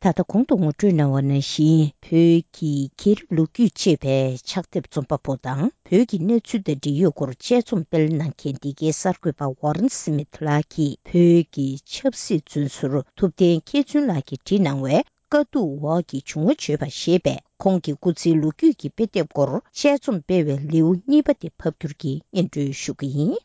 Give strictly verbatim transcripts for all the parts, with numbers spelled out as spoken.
ད་ལྟ་གོང་དུ་ངོ་སྤྲོད་གནང་བ་ནང་བཞིན། བོད་ཀྱི་རྒྱལ་རབས་ལོ་རྒྱུས་ཅེས་པའི་ཕྱག་དེབ་རྩོམ་པ་པོ་དང་། བོད་ཀྱི་གནས་ཚུལ་དང་འབྲེལ་ཡོད་སྐོར་དཔྱད་རྩོམ་སྤེལ་གནང་མཁན་འདི་གའི་གསར་འགོད་པ་ཝོ་རན་སི་མིད་ལགས་ཀྱིས། བོད་ཀྱི་ཆབ་སྲིད་བཙོན་ཟུར་ཐུབ་བསྟན་མཁས་བཙུན་ལགས་ཀྱིས་བྲིས་གནང་བའི། དཀའ་སྡུག་འོག་གི་བྱུང་བ་བརྗོད་པ་ཞེས་པའི་ཁོང་གི་སྐུ་ཚེའི་ལོ་རྒྱུས་ཀྱི་དཔེ་དེབ་སྐོར་དཔྱད་རྩོམ་སྤེལ་བའི་ལེའུ་གཉིས་པ་དེ་ཕབ་བསྒྱུར་གྱིས་སྙན་སྒྲོན་ཞུ་གི་ཡིན།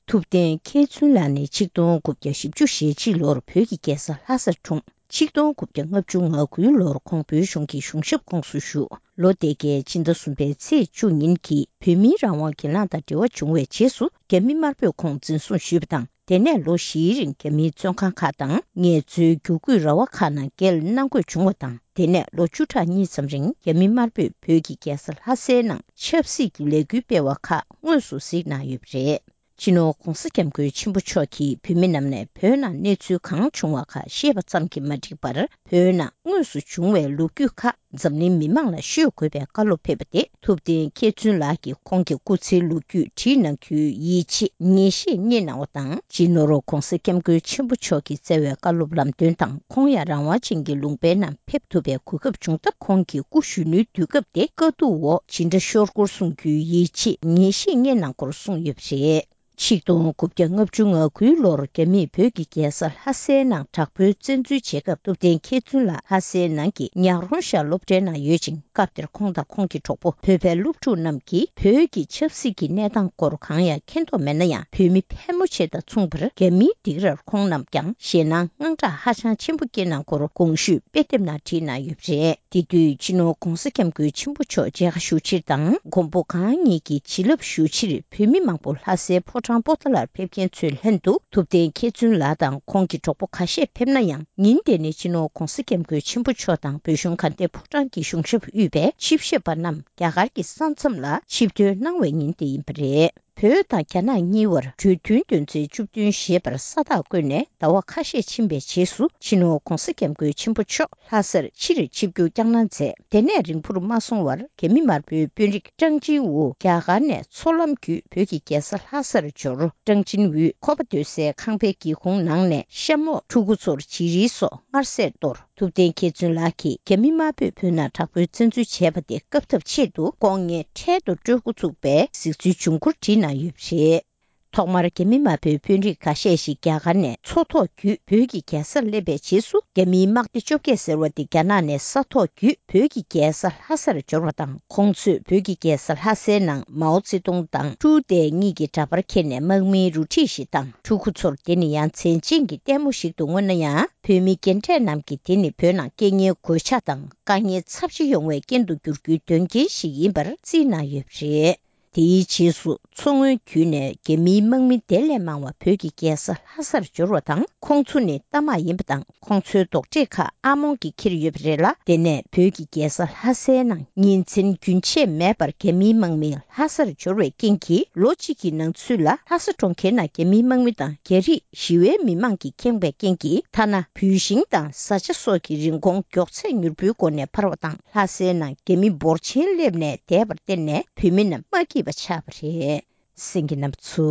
ཐུབ་བསྟན་མཁས་བཙུན་ལགས་ནི་ཆིག་སྟོང་དགུ་བརྒྱ་བཞི་བཅུ་ཞེ་གཅིག་ལོར་བོད་ཀྱི་རྒྱལ་ས་ལྷ་སར་འཁྲུངས། ཆིག་སྟོང་དགུ་བརྒྱ་ལྔ་བཅུ་ང་དགུའི་ལོར་ཁོང་བོད་གཞུང་གི་གཞུང་ཞབས་ཁོངས་སུ་ཞུགས། ལོ་དེ་གའི་སྤྱི་ཟླ་གསུམ་པའི་ཚེས་བཅུ་ཉིན་གྱི་བོད་མིའི་རང་དབང་གྱེན་ལངས་དང་འབྲེལ་བ་བྱུང་བའི་རྗེས་སུ། རྒྱ་མི་དམར་པོས་ཁོང་འཛིན་བཟུང་ཞུས་པ་དང་། དེ་ནས་ལོ་བཞིའི་རིང་རྒྱ་མིའི་བཙོན་ཁང་ཁག་དང་ངལ་རྩོལ་བསྒྱུར་བཀོད་ར་བ་ཁག་ནང་བསྐྱལ་གནང་དགོས་བྱུང་བ་དང་། དེ་ནས་ལོ་བཅུ་ཕྲག་གཉིས་ཙམ་རིང་རྒྱ་མི་དམར་པོས་བོད་ཀྱི་རྒྱལ་ས་ལྷ་སའི་ནང་ཆབ་སྲིད་ཀྱི་ལས་འགུལ་སྤེལ་བ་ཁག་དངོས་སུ་གཟིགས་གནང་ཡོད་པ་རེད། སྤྱི་ནོར་༧གོང་ས་༧སྐྱབས་མགོན་ཆེན་པོ་མཆོག་གིས་བོད་མི་རྣམས་ནས་བོད་ནང་གནས་ཚུལ་གང་བྱུང་བ་ཁག་ཤེས་པ་ཙམ་གྱིས་མ་འགྲིག་པར། བོད་ནང་དངོས་སུ་བྱུང་བའི་ལོ་རྒྱུས་ཁག་འཛམ་གླིང་མི་མང་ལ་ཤོད་དགོས་པའི་བཀའ་སློབ་ཕེབས་པ་དེ། ཐུབ་བསྟན་མཁས་བཙུན་ལགས་ཀྱིས་ཁོང་གི་སྐུ་ཚེའི་ལོ་རྒྱུས་བྲིས་གནང་རྒྱུའི་ཡིད་ཆེས་ངེས་ཤེས་རྙེད་གནང་བ་དང་། སྤྱི་ནོར་༧གོང་ས་༧སྐྱབས་མགོན་ཆེན་པོ་མཆོག་གིས་བསྩལ་བའི་བཀའ་སློབ་ལམ་སྟོན་དང་། ཁོང་ཡང་རང་དབང་ཅན་གྱི་ལུང་པའི་ནང་ཕེབས་ཐུབ་པའི་གོ་སྐབས་བྱུང་སྟབས། ཁོང་གི་སྐུ་གཞོན་ནུའི་དུས་སྐབས་དེ་དཀའ་སྡུག་འོག་ཇི་འདྲ་ཤོར་སྐོར་གསུང་རྒྱུའི་ཡིད་ཆེས་ངེས་ཤེས་རྙེད་གནང་སྐོར་གསུངས་ཡོད་པ་རེད། ཆིག་སྟོང་དགུ་བརྒྱ་ལྔ་བཅུ་ང་དགུའི་ལོར་རྒྱ་མིས་བོད་ཀྱི་རྒྱལ་ས་ལྷ་སའི་ནང་དྲག་པོའི་བཙན་འཛུལ་བྱེད་སྐབས། ཐུབ་བསྟན་མཁས་བཙུན་ལགས་ལྷ་སའི་ནང་གི་ཉག་རོང་ཤར་སློབ་གྲྭའི་ནང་ཡོད་ཅིང་། སྐབས་དེར་ཁོང་དང་ཁོང་གི་གྲོགས་པོ་བོད་པའི་སློབ་ཕྲུག་རྣམས་ཀྱིས་བོད་ཀྱི་ཆབ་སྲིད་ཀྱི་གནས་སྟངས་སྐོར་གང་ཡང་མཁྱེན་རྟོགས་མེད་ན་ཡང་། བོད་མི་ཕལ་མོ་ཆེ་དང་མཚུངས་པར་རྒྱ་མིའི་སྡིགས་རར་ཁོང་རྣམས་ཀྱང་ཞེད་སྣང་དངངས་སྐྲག་ཧ་ཅང་ཆེན་པོ་སྐྱེས་གནང་སྐོར་གོང་ཞུས་དཔེ་དེབ་ནང་བྲིས་གནང་ཡོད་པ་རེད། དེ་དུས་སྤྱི་ནོར་༧གོང་ས་༧སྐྱབས་མགོན་ཆེན་པོ་མཆོག་མཇལ་ཁ་ཞུ་ཕྱིར་དང་། མགོན་པོ་གང་ཉིད་ཀྱི་བྱིན་རླབས་ཞུ་ཕྱིར་བོད་མི་མང་པོ་ལྷ་སའི་ཕོ་བྲང་པོ་ཏཱ་ལར་ཕེབས་མཁན་ཚོའི་ལྷན་དུ། ཐུབ་བསྟན་མཁས་བཙུན་ལགས་དང་ཁོང་གི་གྲོགས་པོ་ཁ་ཤས་ཕེབས་ན་ཡང་། ཉིན་དེ་ནི་སྤྱི་ནོར་༧གོང་ས་༧སྐྱབས་མགོན་ཆེན་པོ་མཆོག་དང་བོད་གཞུང་དགའ་ལྡན་ཕོ་བྲང་གི་གཞུང་ཞབས་དབུས་པའི་ཆིབས་ཞབས་པ་རྣམས་རྒྱ་གར་གྱི་ས་མཚམས་ལ་ཆིབས་ཐོན་གནང་བའི་ཉིན་དེ་ཡིན་པ་རེད། བོད་དང་རྒྱ་ནག་གཉིས་བར་གྲོས་མཐུན་དོན་ཚན་བཅུ་བདུན་ཞེས་པར་ས་རྟགས་བཀོད་ནས་ཟླ་བ་ཁ་ཤས་ཕྱིན་པའི་རྗེས་སུ། སྤྱི་ནོར་༧གོང་ས་༧སྐྱབས་མགོན་ཆེན་པོ་མཆོག་ལྷ་སར་ཕྱིར་ཆིབས་བསྒྱུར་བསྐྱངས་གནང་མཛད། དེ་ནས་རིང་པོར་མ་སོང་བར་རྒྱ་མི་དམར་པོའི་དཔོན་རིགས་ཀྲང་ཅིན་ཝུ་རྒྱ་གར་ནས་མཚོ་ལམ་བརྒྱུད་བོད་ཀྱི་རྒྱལ་ས་ལྷ་སར་འབྱོར། ཀྲང་ཅིན་ཝུས་ཁོ་པ་སྡོད་སའི་ཁང་པའི་སྒེའུ་ཁུང་ནང་ནས་ཤ་མོག་ཕྲུ་གུ་ཚོར་བྱི་རིལ་སོགས་མངར་ཟས་གཏོར། ཐུབ་བསྟན་མཁས་བཙུན་ལགས་ཀྱིས་རྒྱ་མི་དམར་པོས་བོད་ནང་དྲག་པོའི་བཙན་འཛུལ་བྱས་པ་དེ་བཀབ་ཐབས་ཆེད་དུ་ལྐོག་རྔན་འཕྲལ་དུ་སྤྲོད་འགོ་ཚུགས་པའི་གཟིགས་ཚུལ་འབྱུང་ཁུངས་བྲིས་གནང་ཡོད་པ་རེད། ཐོག་མར་རྒྱ་མི་དམར་པོའི་དཔོན་རིགས་འགའ་ཤས་ཤིག་རྒྱ་གར་ནས་མཚོ་ཐོག་བརྒྱུད་བོད་ཀྱི་རྒྱལ་སར་སླེབས་པའི་རྗེས་སུ། རྒྱ་མིའི་དམག་སྡེ་བཅོ་བརྒྱད་ཟེར་བ་དེ་རྒྱ་ནག་ནས་ས་ཐོག་བརྒྱུད་བོད་ཀྱི་རྒྱལ་ས་ལྷ་སར་འབྱོར་བ་དང་། ཁོང་ཚོས་བོད་ཀྱི་རྒྱལ་ས་ལྷ་སའི་ནང་མའོ་ཙེ་ཏུང་དང་ཀྲུའུ་ཏེ་གཉིས་ཀྱི་འདྲ་པར་འཁྱེར་ནས་དམག་མིའི་རུ་ཁྲིད་ཞིག་དང་། ཕྲུ་གུ་ཚོར་དེ་ནི་ཡ་མཚན་ཅན་གྱི་ལྟད་མོ་ཞིག་ཏུ་མངོན་ན་ཡང་། བོད་མི་རྒན་གྲས་རྣམས་ཀྱིས་དེ་ནི་བོད་ནང་རྐྱེན་ངན་གོད་ཆག་དང་དཀའ་ངལ་ཚབས་ཆེ་ཡོང་བའི་རྐྱེན་དུ་འགྱུར་རྒྱུའི་དོན་རྐྱེན་ཞིག་ཡིན་པར་བརྩིས་གནང་ཡོད་པ་རེད། དེའི་རྗེས་སུ་མཚོ་སྔོན་བརྒྱུད་ནས་རྒྱ་མིའི་དམག་མི་དེ་ལས་མང་བ་བོད་ཀྱི་རྒྱལ་ས་ལྷ་སར་འབྱོར་བ་དང་། ཁོང་ཚོ་ནི་རྟ་དམག་ཡིན་པ་དང་། ཁོང་ཚོའི་རྡོག་ཁྲེས་ཁག་ཨར་མོང་གིས་འཁྱེར་ཡོད་པ་རེད་ལ། དེ་ནས་བོད་ཀྱི་རྒྱལ་ས་ལྷ་སའི་ནང་ཉིན་མཚན་རྒྱུན་ཆད་མེད་པར་རྒྱ་མིའི་དམག་མི་ལྷ་སར་འབྱོར་བའི་རྐྱེན་གྱིས། ལོ་གཅིག་གི་ནང་ཚུད་ལ་ལྷ་ས་གྲོང་ཁྱེར་ནང་རྒྱ་མིའི་དམག་མི་དང་རྒྱ་རིགས་ཞི་བའི་མི་མང་གིས་ཁེངས་པའི་རྐྱེན་གྱིས། ཐ་ན་བུད་ཤིང་དང་བཟའ་བཅའ་སོགས་ཀྱི་རིན་གོང་མགྱོགས་ཚད་མྱུར་པོའི་སྒོ་ནས་འཕར་བ་དང་། ལྷ་སའི་ནང་རྒྱ་མི་འབོར་ཆེན་སླེབས་ནས་བསྡད་པར་བརྟེན་ནས་བོད་མི་རྣམས་མ་སྐྱིད་པ་ཆགས་པ་རེད། གསན་མཁན་རྣམ་པ་ཚོ།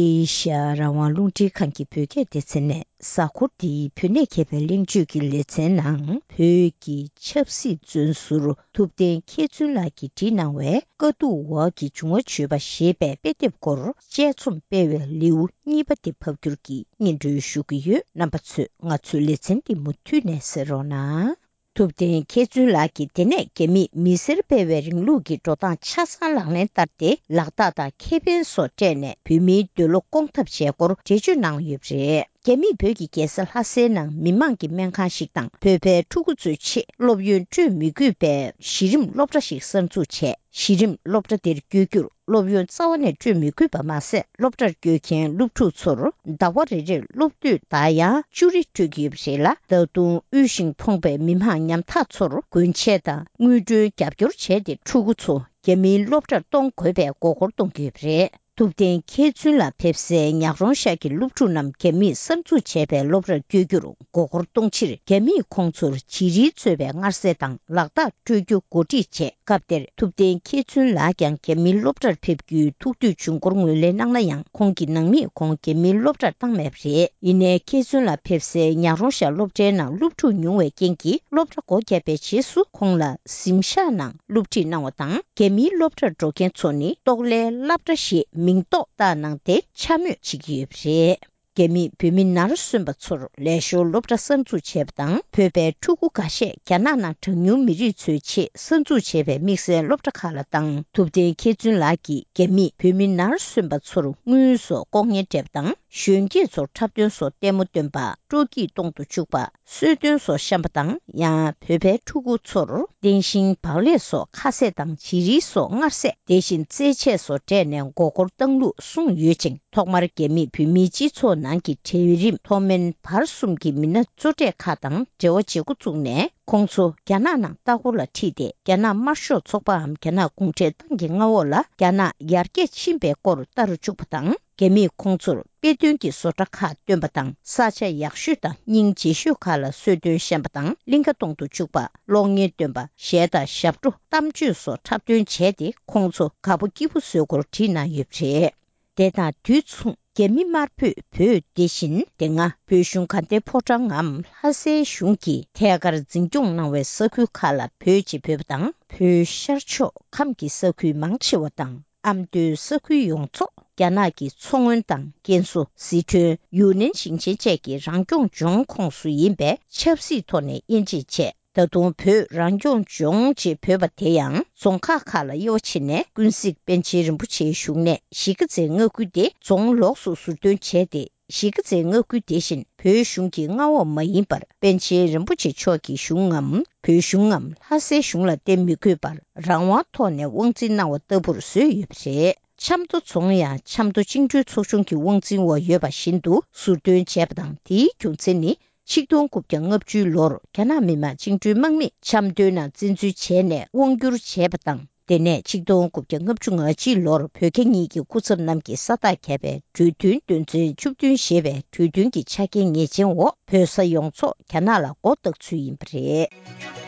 ཨེ་ཤ་ཡ་རང་དབང་རླུང་འཕྲིན་ཁང་གི་བོད་སྐད་སྡེ་ཚན་ནས། གཟའ་འཁོར་འདིའི་བོད་གནས་མཁས་པའི་གླེང་བརྗོད་ཀྱི་ལེ་ཚན་ནང་། བོད་ཀྱི་ཆབ་སྲིད་བཙོན་ཟུར་ཐུབ་བསྟན་མཁས་བཙུན་ལགས་ཀྱིས་བྲིས་གནང་བའི་དཀའ་སྡུག་འོག་གི་བྱུང་བ་བརྗོད་པ་ཞེས་པའི་དཔེ་དེབ་སྐོར་དཔྱད་རྩོམ་སྤེལ་བའི་ལེའུ་གཉིས་པ་དེ་ཕབ་བསྒྱུར་གྱིས་སྙན་སྒྲོན་ཞུ་གི་ཡོད། རྣམ་པ་ཚོས་ང་ཚོའི་ལེ་ཚན་འདི་མུ་མཐུད་ནས་གསན་རོགས་གནང་། ཐུབ་བསྟན་མཁས་བཙུན་ལགས་ཀྱིས་དེ་ནས་རྒྱ་མིས་མི་སེར་སྤེལ་བའི་རིང་ལུགས་ཀྱི་འགྲོ་སྟངས་ཆ་ཚང་ལག་ལེན་བསྟར་ཏེ། ལག་རྟགས་དང་ཁེ་ཕན་སོགས་སྤྲད་ནས་བོད་མིའི་འདོད་བློ་སྐོང་ཐབས་བྱས་སྐོར་འགྲེལ་བརྗོད་གནང་ཡོད་པ་རེད། རྒྱ་མིས་བོད་ཀྱི་རྒྱལ་ས་ལྷ་སའི་ནང་མི་མང་གི་སྨན་ཁང་ཞིག་དང་། བོད་པའི་ཕྲུ་གུ་ཚོའི་ཆེད་སློབ་ཡོན་སྤྲོད་མི་དགོས་པའི་གཞི་རིམ་སློབ་གྲྭ་ཞིག་གསར་འཛུགས་བྱས། གཞི་རིམ་སློབ་གྲྭ་དེར་བསྐྱོད་རྒྱུར་སློབ་ཡོན་རྩ་བ་ནས་སྤྲོད་མི་དགོས་པ་མ་ཟད། སློབ་གྲྭར་བསྐྱོད་མཁན་སློབ་ཕྲུག་ཚོར་ཟླ་བ་རེ་རེར་སློབ་དུས་ཟླ་ཡང་བཅུ་རེ་སྤྲོད་ཀྱི་ཡོད་པ་རེད་ལ། ད་དུང་དབུལ་ཞིང་ཕོངས་པའི་མི་མང་ཉམ་ཐག་ཚོར་གོན་ཆས་དང་དངུལ་གྲོན་རྒྱབ་སྐྱོར་བྱས་ཏེ། ཕྲུ་གུ་ཚོ་རྒྱ་མིའི་སློབ་གྲྭར་གཏོང་དགོས་པའི་མགོ་སྐོར་གཏོང་གི་ཡོད་པ་རེད། ཐུབ་བསྟན་མཁས་བཙུན་ལ་ཕེབས་སའི་ཉག་རོང་ཤག་གི་སློབ་ཕྲུག་རྣམས་རྒྱ་མིས་གསར་འཛུགས་བྱས་པའི་སློབ་གྲྭར་བསྐྱོད་རྒྱུར་མགོ་སྐོར་གཏོང་ཕྱིར། རྒྱ་མིས་ཁོང་ཚོར་བྱི་རིལ་གཙོས་པའི་མངར་ཟས་དང་ལག་རྟགས་སྤྲོད་རྒྱུ་གོ་སྒྲིག་བྱས། སྐབས་དེར་ཐུབ་བསྟན་མཁས་བཙུན་ལགས་ཀྱང་རྒྱ་མིའི་སློབ་གྲྭར་ཕེབས་རྒྱུའི་ཐུགས་འདོད་བྱུང་སྐོར་ངོས་ལེན་གནང་ན་ཡང་། ཁོང་གི་ནང་མིས་ཁོང་རྒྱ་མིའི་སློབ་གྲྭར་བཏང་མེད་པ་རེད། ཡིན་ནའི་མཁས་བཙུན་ལགས་ཕེབས་སའི་ཉག་རོང་ཤག་སློབ་གྲྭའི་ནང་སློབ་ཕྲུག་ཉུང་བའི་རྐྱེན་གྱིས། སློབ་གྲྭ་སྒོ་བརྒྱབ་པའི་རྗེས་སུ་ཁོང་ལ་གཟིམ་ཤག་ནང་སློབ་ཁྲིད་གནང་བ་དང་། རྒྱ་མིའི་སློབ་གྲྭར་འགྲོ་མཁན་ཚོ་ནི་ཏོག་ལའི་སློབ་གྲྭ་ཞེས་མིང་ཐོགས་བཏགས་གནང་སྟེ་འཕྱ་སྨོད་བྱེད་ཀྱི་ཡོད་པ་རེད། རྒྱ་མིས་བོད་མི་ནར་སོན་པ་ཚོར་ལས་ཞོར་སློབ་གྲྭ་གསར་འཛུགས་བྱས་པ་དང་། བོད་པའི་ཕྲུ་གུ་འགའ་ཤས་རྒྱ་ནག་ནང་གྲངས་ཉུང་མི་རིགས་ཚོའི་ཆེད་གསར་འཛུགས་བྱས་པའི་དམིགས་བསལ་སློབ་གྲྭ་ཁག་ལ་བཏང་། ཐུབ་བསྟན་མཁས་བཙུན་ལགས་ཀྱིས་རྒྱ་མིས་བོད་མི་ནར་སོན་པ་ཚོར་དངུལ་སོགས་ལྐོག་རྔན་སྤྲད་པ་དང་། གཞོན་སྐྱེས་ཚོར་འཁྲབ་སྟོན་སོགས་ལྟད་མོ་སྟོན་པ། སྤྲོ་སྐྱིད་གཏོང་དུ་བཅུག་པ། གསོལ་སྟོན་སོགས་བཤམས་པ་དང་། ཡང་བོད་པའི་ཕྲུ་གུ་ཚོར་རྟེན་ཞིང་བག་ལེབ་སོགས་ཁ་ཟས་དང་བྱི་རིལ་སོགས་མངར་ཟས། དེ་བཞིན་རྩེད་ཆས་སོགས་སྤྲད་ནས་མགོ་སྐོར་བཏང་ལུགས་གསུངས་ཡོད་ཅིང་། ཐོག་མར་རྒྱ་མིས་བོད་མིའི་སྤྱི་ཚོགས་ནང་གི་གྲལ་རིམ་མཐོ་དམན་བར་གསུམ་གྱི་མི་སྣ་གཙོ་གྲས་ཁག་དང་འབྲེལ་བ་བྱེད་འགོ་བཙུགས་ནས། ཁོང་ཚོ་རྒྱ་ནག་ནང་ལྟ་སྐོར་ལ་ཁྲིད་དེ། རྒྱ་ནག་དམར་ཤོག་ཚོགས་པའམ་རྒྱ་ནག་གུང་ཁྲན་ཏང་གི་མངའ་འོག་ལ་རྒྱ་ནག་ཡར་རྒྱས་ཕྱིན་པའི་སྐོར་ལྟ་རུ་བཅུག་པ་དང་། རྒྱ་མིས་ཁོང་ཚོར་དཔེ་སྟོན་གྱི་བཟོ་གྲྭ་ཁག་སྟོན་པ་དང་། ས་ཆ་ཡག་ཤོས་དང་སྙིང་རྗེ་ཤོས་ཁག་ལ་གསོལ་སྟོན་བཤམས་པ་དང་། གླིང་ག་གཏོང་དུ་བཅུག་པ། གློག་བརྙན་སྟོན་པ། གཞས་དང་ཞབས་བྲོ། གཏམ་བརྗོད་སོགས་འཁྲབ་སྟོན་བྱས་ཏེ། ཁོང་ཚོ་དགའ་པོ་སྐྱིད་པོ་བཟོ་སྐོར་བྲིས་གནང་ཡོད་པ་རེད། དེ་དང་དུས་མཚུངས། རྒྱ་མི་དམར་པོས་བོད་དེ་བཞིན་དེ་སྔ་བོད་གཞུང་དགའ་ལྡན་ཕོ་བྲང་ངམ་ལྷ་སའི་གཞུང་གིས་ཐད་ཀར་འཛིན་སྐྱོང་གནང་བའི་ས་ཁུལ་ཁག་ལ་བོད་ཅེས་འབོད་པ་དང་། བོད་ཤར་ཕྱོགས་ཁམས་ཀྱི་ས་ཁུལ་མང་ཆེ་བ་དང་། ཨ་མདོའི་ས་ཁུལ་ཡོངས་རྫོགས་རྒྱ་ནག་གི་མཚོ་སྔོན་དང་ཀན་སུའུ། ཟི་ཁྲོན། ཡུན་ནན་ཞིང་ཆེན་བཅས་ཀྱི་རང་སྐྱོང་ལྗོངས་ཁོངས་སུ་ཡིན་པས། ཆབ་སྲིད་ཐོག་ནས་དབྱེ་འབྱེད་བྱས། ད་དུང་བོད་རང་སྐྱོང་ལྗོངས་ཅེས་འབོད་པ་དེ་ཡང་རྫོང་ཁག་ཁག་ལ་དབྱེ་བ་ཕྱེ་ནས། ཀུན་གཟིགས་པཎ་ཆེན་རིན་པོ་ཆེའི་བཞུགས་གནས་གཞིས་ཀ་རྩེའི་མངའ་ཁུལ་དེ་རྫོང་ལོགས་སུ་ཟུར་འདོན་བྱས་ཏེ། གཞིས་ཀ་རྩེའི་མངའ་ཁུལ་དེ་བཞིན་བོད་གཞུང་གི་མངའ་འོག་མ་ཡིན་པར། པཎ་ཆེན་རིན་པོ་ཆེ་མཆོག་གི་གཞུང་ངམ། བོད་གཞུང་ངམ། ལྷ་སའི་གཞུང་ལ་བརྟེན་མི་དགོས་པར། རང་དབང་ཐོག་ནས་དབང་འཛིན་གནང་བ་ལྟ་བུར་བཟོས་ཡོད་པ་རེད། ཆབ་མདོ་རྫོང་ཡང་ཆབ་མདོ་བཅིངས་འགྲོལ་ཚོགས་ཆུང་གི་དབང་འཛིན་འོག་ཡོད་པ་བཞིན་དུ་ཟུར་འདོན་བྱས་པ་དང་། དེའི་རྒྱུ་མཚན་ནི། ཆིག་སྟོང་དགུ་བརྒྱ་ལྔ་བཅུའི་ལོར་རྒྱ་ནག་མི་དམངས་བཅིངས་འགྲོལ་དམག་མིས་ཆབ་མདོའི་ནང་བཙན་འཛུལ་བྱས་ནས་དབང་བསྒྱུར་བྱས་པ་དང་། དེ་ནས་ཆིག་སྟོང་དགུ་བརྒྱ་ལྔ་བཅུ་ང་གཅིག་ལོར་བོད་རྒྱ་གཉིས་ཀྱི་སྐུ་ཚབ་རྣམས་ཀྱིས་ས་རྟགས་བརྒྱབ་པའི་གྲོས་མཐུན་དོན་ཚན་བཅུ་བདུན་ཞེས་པའི་གྲོས་མཐུན་གྱི་ཆ་རྐྱེན་ངེས་ཅན་འོག་བོད་ས་ཡོངས་རྫོགས་རྒྱ་ནག་ལ་མགོ་བཏགས་ཚུལ་ཡིན་པ་རེད།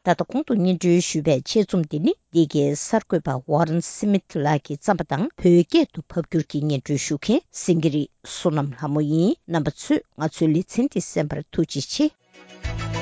ད་ལྟ་གོང་དུ་སྙན་སྒྲོན་ཞུས་པའི་ཆེད་རྩོམ་འདི་ནི། འདི་གའི་གསར་འགོད་པ་ཝོ་རན་སི་མིད་ལགས་ཀྱིས་བརྩམས་པ་དང་། བོད་སྐད་དུ་ཕབ་བསྒྱུར་གྱིས་སྙན་སྒྲོན་ཞུ་མཁན་སེང་གེ་རི་བསོད་ནམས་ལྷ་མོ་ཡིན། རྣམ་པ་ཚོས་ང་ཚོའི་ལེ་ཚན་འདི་གསན་པར་ཐུགས་རྗེ་ཆེ།